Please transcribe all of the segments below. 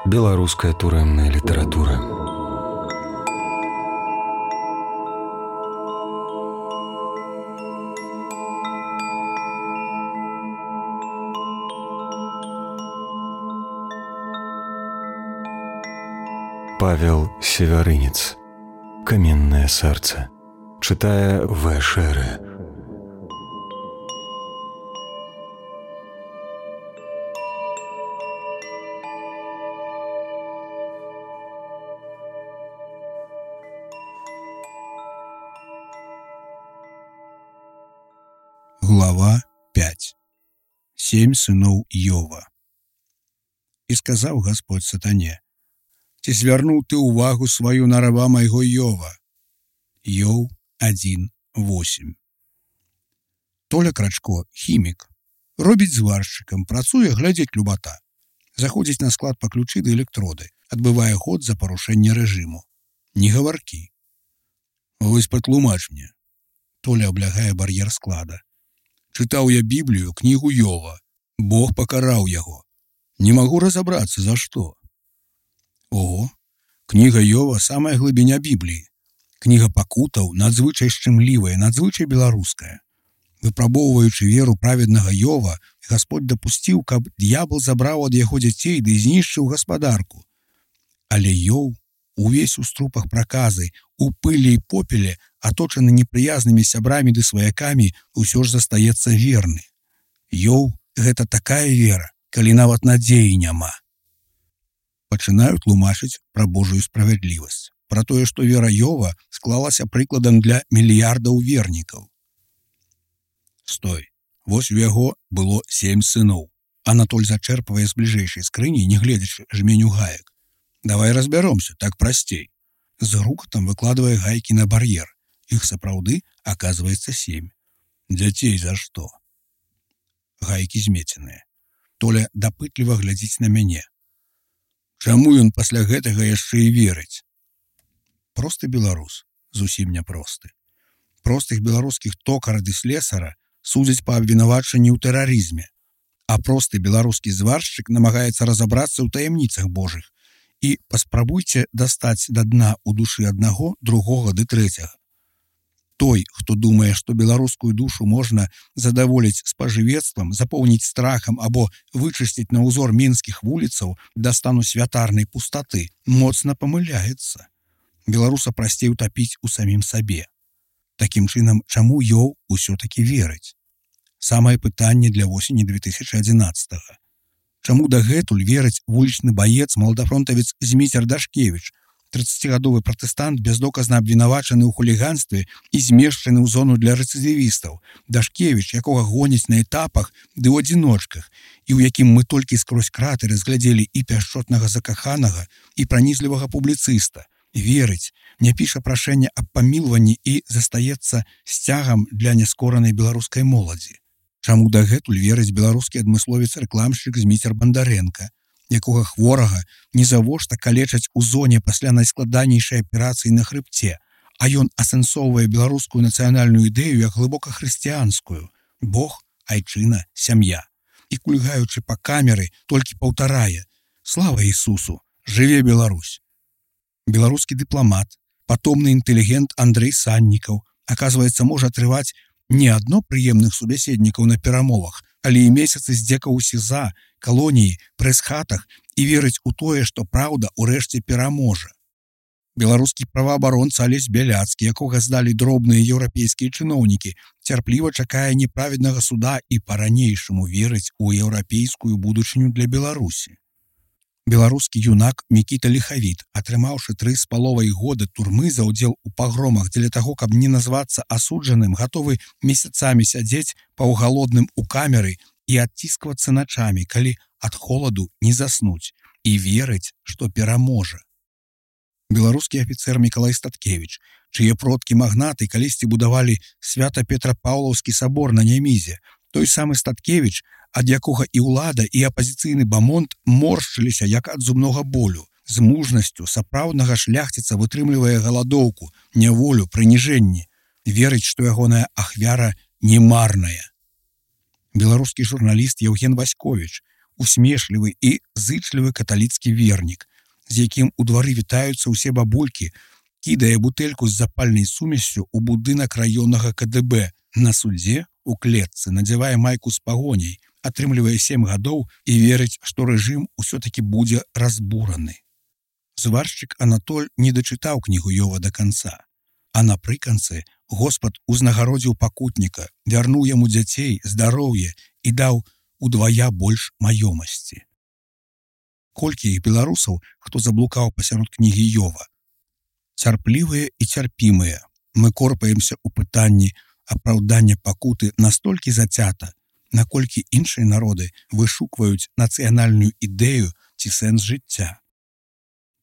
Беларуская турэмная літаратура. Павел Севярынец. Каменное сердце. Читая В. Шере. Глава 5. 7 сыноў Йова. І сказаў Господь сатане: ці звярнуў ты ўвагу сваю на раба майго Йова? Йов 1:8. Толя Крачко, хімік, робіць зваршчыкам, працуе, глядзець любата. Заходзіць на склад па ключы да электроды, адбывае ход за парушэнне рэжыму. Не гаваркі. Вось патлумач мне. Толя аблягае бар'ер склада. Чытаў я Біблію, кнігу Йова. Бог пакараў яго. Не магу разабрацца, за што. Ого, кніга Йова самая глыбіня Бібліі. Кніга пакутаў надзвычай шчымлівая, надзвычай беларуская. Выпрабоўваючы веру праведнага Йова, Господь дапусціў, каб д'ябал забраў ад яго дзяцей ды знішчыў гаспадарку. Але Йов, увесь у струпах праказы, у пылі і попеле, аточаны непрыязнымі сябрамі ды сваякамі, усё ж застаецца верны. Йов — гэта такая вера, калі нават надзеі няма. Пачынаю тлумачыць пра Божую справядлівасць, пра тое, што вера Йова склалася прыкладам для мільярдаў вернікаў. Стой, вось у яго было 7 сыноў. Анатоль зачэрпвае з бліжэйшай скрыні, не гледзячы жменю гаек. Давай разбяромся, так прасцей. З грукатам выкладвае гайкі на бар'ер. Іх сапраўды аказваецца 7. Дзяцей за што? Гайкі змеценыя. Толя дапытліва глядзіць на мяне. Чаму ён пасля гэтага яшчэ і верыць? Просты беларус, зусім няпросты. Простых беларускіх токара ды слесара судзяць па абвінавачанні ў тэрарызме, а просты беларускі зваршчык намагаецца разабрацца ў таямніцах Божых. І паспрабуйце дастаць да дна ў душы аднаго, другога ды трэцяга. Той, хто думае, што беларускую душу можна задаволіць спажывецтвам, запоўніць страхам або вычысціць на ўзор мінскіх вуліцаў да стану святарнай пустаты, моцна памыляецца. Беларуса прасцей утапіць у самім сабе. Такім чынам, чаму Йов усё-такі верыць? Самае пытанне для восені 2011-го. Чаму дагэтуль верыць вулічны баец, маладафронтавец Зміцер Дашкевіч, 30-гадовы пратэстант, бездоказна абвінавачаны ў хуліганстве і змешчаны ў зону для рэцыдывістаў, Дашкевіч, якога гоняць на этапах ды ў адзіночках, і ў якім мы толькі скрозь краты разглядзелі і пяшчотнага закаханага, і пранізлівага публіцыста. Верыць, не піша прашэння аб памілванні і застаецца сцягам для няскоранай беларускай моладзі. Чаму дагэтуль верыць беларускі адмысловец-рэкламшчык Зміцер Бандарэнка, якога хворага нізавошта калечаць у зоне пасля найскладанейшай аперацыі на хрыбце, а ён асэнсоўвае беларускую нацыянальную ідэю як глыбока хрысціянскую – Бог, айчына, сям'я. І кульгаючы па камеры, толькі паўтарае: «Слава Ісусу! Жыве Беларусь!» Беларускі дыпламат, патомны інтэлігент Андрэй Саннікаў, аказваецца, можа атрываць не адно прыемных субяседнікаў на перамовах, але і месяцы здзекаў у СІЗА, калоніі, прэс-хатах і верыць у тое, што праўда ўрэшце пераможа. Беларускі праваабаронца Алесь Бяляцкі, якога здалі дробныя еўрапейскія чыноўнікі, цярпліва чакае неправеднага суда і па-ранейшаму верыць у еўрапейскую будучыню для Беларусі. Беларускі юнак Мікіта Ліхавіт, атрымаўшы 3,5 года турмы за ўдзел у пагромах дзеля таго, каб не назвацца асуджаным, гатовы месяцамі сядзець паўгалодным у камеры і адцісквацца начамі, калі ад холаду не заснуць, і верыць, што пераможа. Беларускі афіцэр Мікалай Статкевіч, чые продкі-магнаты калісьці будавалі Свята-Петрапаўлаўскі сабор на Нямізе, той самы Статкевіч, ад якога і ўлада, і апазіцыйны бамонт моршчыліся як ад зубнога болю, з мужнасцю сапраўднага шляхціца вытрымлівае галадоўку, няволю, прыніжэнні, верыць, што ягоная ахвяра не марная. Беларускі журналіст Яўген Васьковіч, усмешлівы і зычлівы каталіцкі вернік, з якім у двары вітаюцца ўсе бабулькі, кідае бутэльку з запальнай сумессю ў будынак раённага КДБ. На судзе у клетцы надзявае майку з пагоняй, атрымлівае 7 гадоў і верыць, што рэжым усё-такі будзе разбураны. Зваршчык Анатоль не дачытаў кнігу Йова да канца. А напрыканцы Господ узнагародзіў пакутніка, вярнуў яму дзяцей, здароўе і даў удвая больш маёмасці. Колькі іх беларусаў, хто заблукаў пасярод кнігі Йова? Цярплівыя і цярпімыя. Мы корпаемся ў пытанні апраўдання пакуты настолькі зацята, наколькі іншыя народы вышукваюць нацыянальную ідэю ці сэнс жыцця.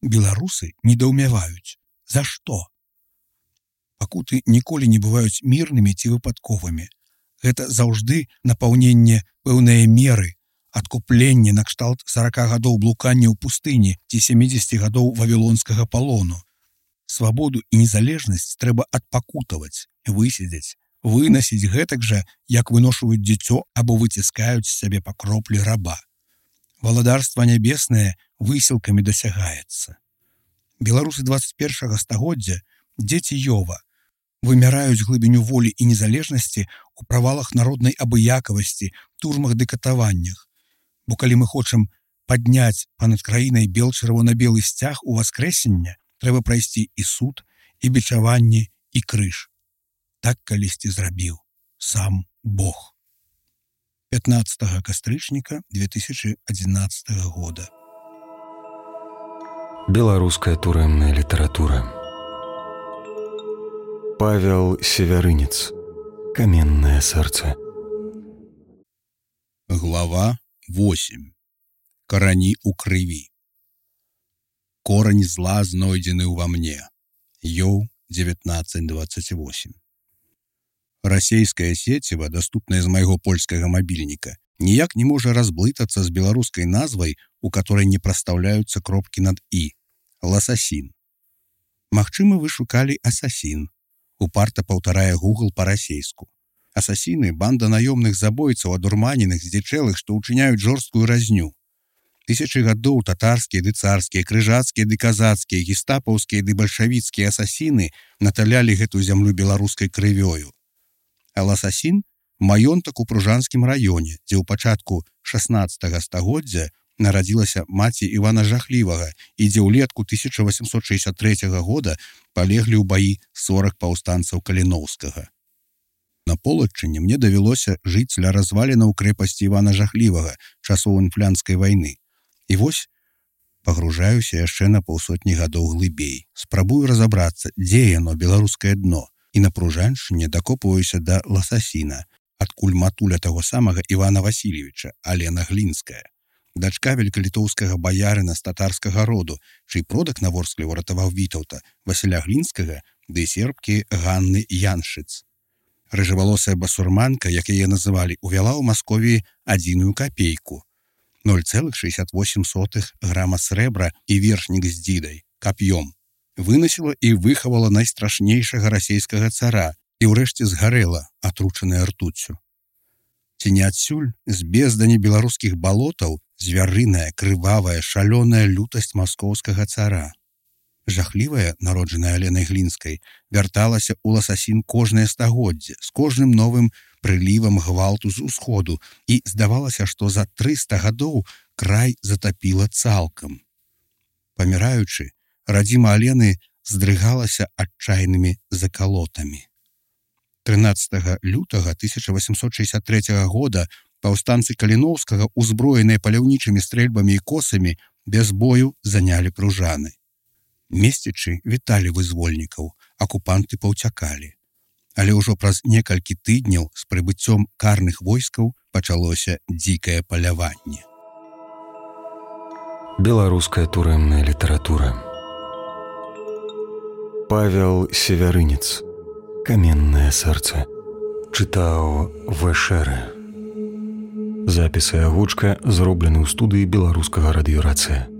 Беларусы недаўмяваюць. За што? Пакуты ніколі не бываюць мірнымі ці выпадковымі. Гэта заўжды напаўненне пэўнае меры, адкупленне накшталт 40 гадоў блукання ў пустыні ці 70 гадоў вавілонскага палону. Свабоду і незалежнасць трэба адпакутаваць, высидзець, вынасіць гэтак жа, як выношваюць дзіцё або выціскаюць з сябе па кроплі раба. Валадарства нябеснае высілкамі дасягаецца. Беларусы 21 стагоддзя, дзеці Йова, вымяраюць глыбіню волі і незалежнасці ў правалах народнай абыякавасці, турмах ды катаваннях. Бо калі мы хочам падняць панад краінай бел-чырвона-белы сцяг у васкрэсення, трэба прайсці і суд, і бичаванне, і крыж. Так калісьці зрабіў сам Бог. 15 кастрычніка 2011 года. Беларуская турэмная літаратура. Павел Севярынец. Каменное сэрца. Глава 8. Карані ў крыві. Корань зла знойдзены ўва мне. Йоў 1928. Расейскае сеціва, даступнае з майго польскага мабільніка, ніяк не можа разблытацца з беларускай назвай, у которой не прастаўляюцца кропкі над «і» – ласасін. Магчыма, вы шукалі асасін. Упарта паўтарае Google па-расейску. Асасіны – банда наёмных забойцаў, адурманеных, здзічэлых, што ўчыняюць жорсткую разню. Тысячы гадоў татарскія ды царскія, крыжацкія ды казацкія, гестапаўскія ды бальшавіцкія асасіны наталялі гэту зямлю беларускай крывёю. А ласасін – маёнтак у Пружанскім раёне, дзе ў пачатку 16 стагоддзя нарадзілася маці Івана Жахлівага і дзе ўлетку 1863 года палеглі ў баі 40 паўстанцаў Каліноўскага. На Полаччыне мне давялося жыць ля развалінаў крэпасці Івана Жахлівага часоў інфлянскай вайны. І вось пагружаюся яшчэ на паўсотні гадоў глыбей. Спрабую разабрацца, дзе яно, беларускае дно, і на Пружаншчыне дакопваюся да ласасіна, адкуль матуля таго самага Івана Васильевича, Алена Глінская, дачка великалітоўскага баярына з татарскага роду, чый продак на Ворскле уратаваў Вітаўта, Васіля Глінскага ды сербкі Ганны Яншыц. Рыжавалосая басурманка, як яе называлі, увяла ў Масковіі 1 капейку, 0,68 грама срэбра і вершнік з дзідай, кап'ём. Вынасіла і выхавала найстрашнейшага расейскага цара і ўрэшце згарэла, атручаная ртуццю. Ці не адсюль з бездані беларускіх балотаў звярыная, крывавая, шалёная лютасць маскоўскага цара. Жахлівая, народжаная Аленай Глінскай, вярталася ў ласасін кожнае стагоддзе, з кожным новым прылівам гвалту з усходу, і здавалася, што за 300 гадоў край затапіла цалкам. Паміраючы, радзіма Алены здрыгалася адчайнымі закалотамі. 13 лютага 1863 года паўстанцы Каліноўскага, узброеныя паляўнічымі стрэльбамі і косамі, без бою занялі Пружаны. Месцічы віталі вызвольнікаў, акупанты паўцякалі. Але ўжо праз некалькі тыдняў з прыбыццём карных войскаў пачалося дзікае паляванне. Беларуская турэмная літаратура. Павел Севярынец. Каменное сэрца. Чытаў В.Шэрэ. Запіс і агучка зроблены ў студыі беларускага радыёрацыя.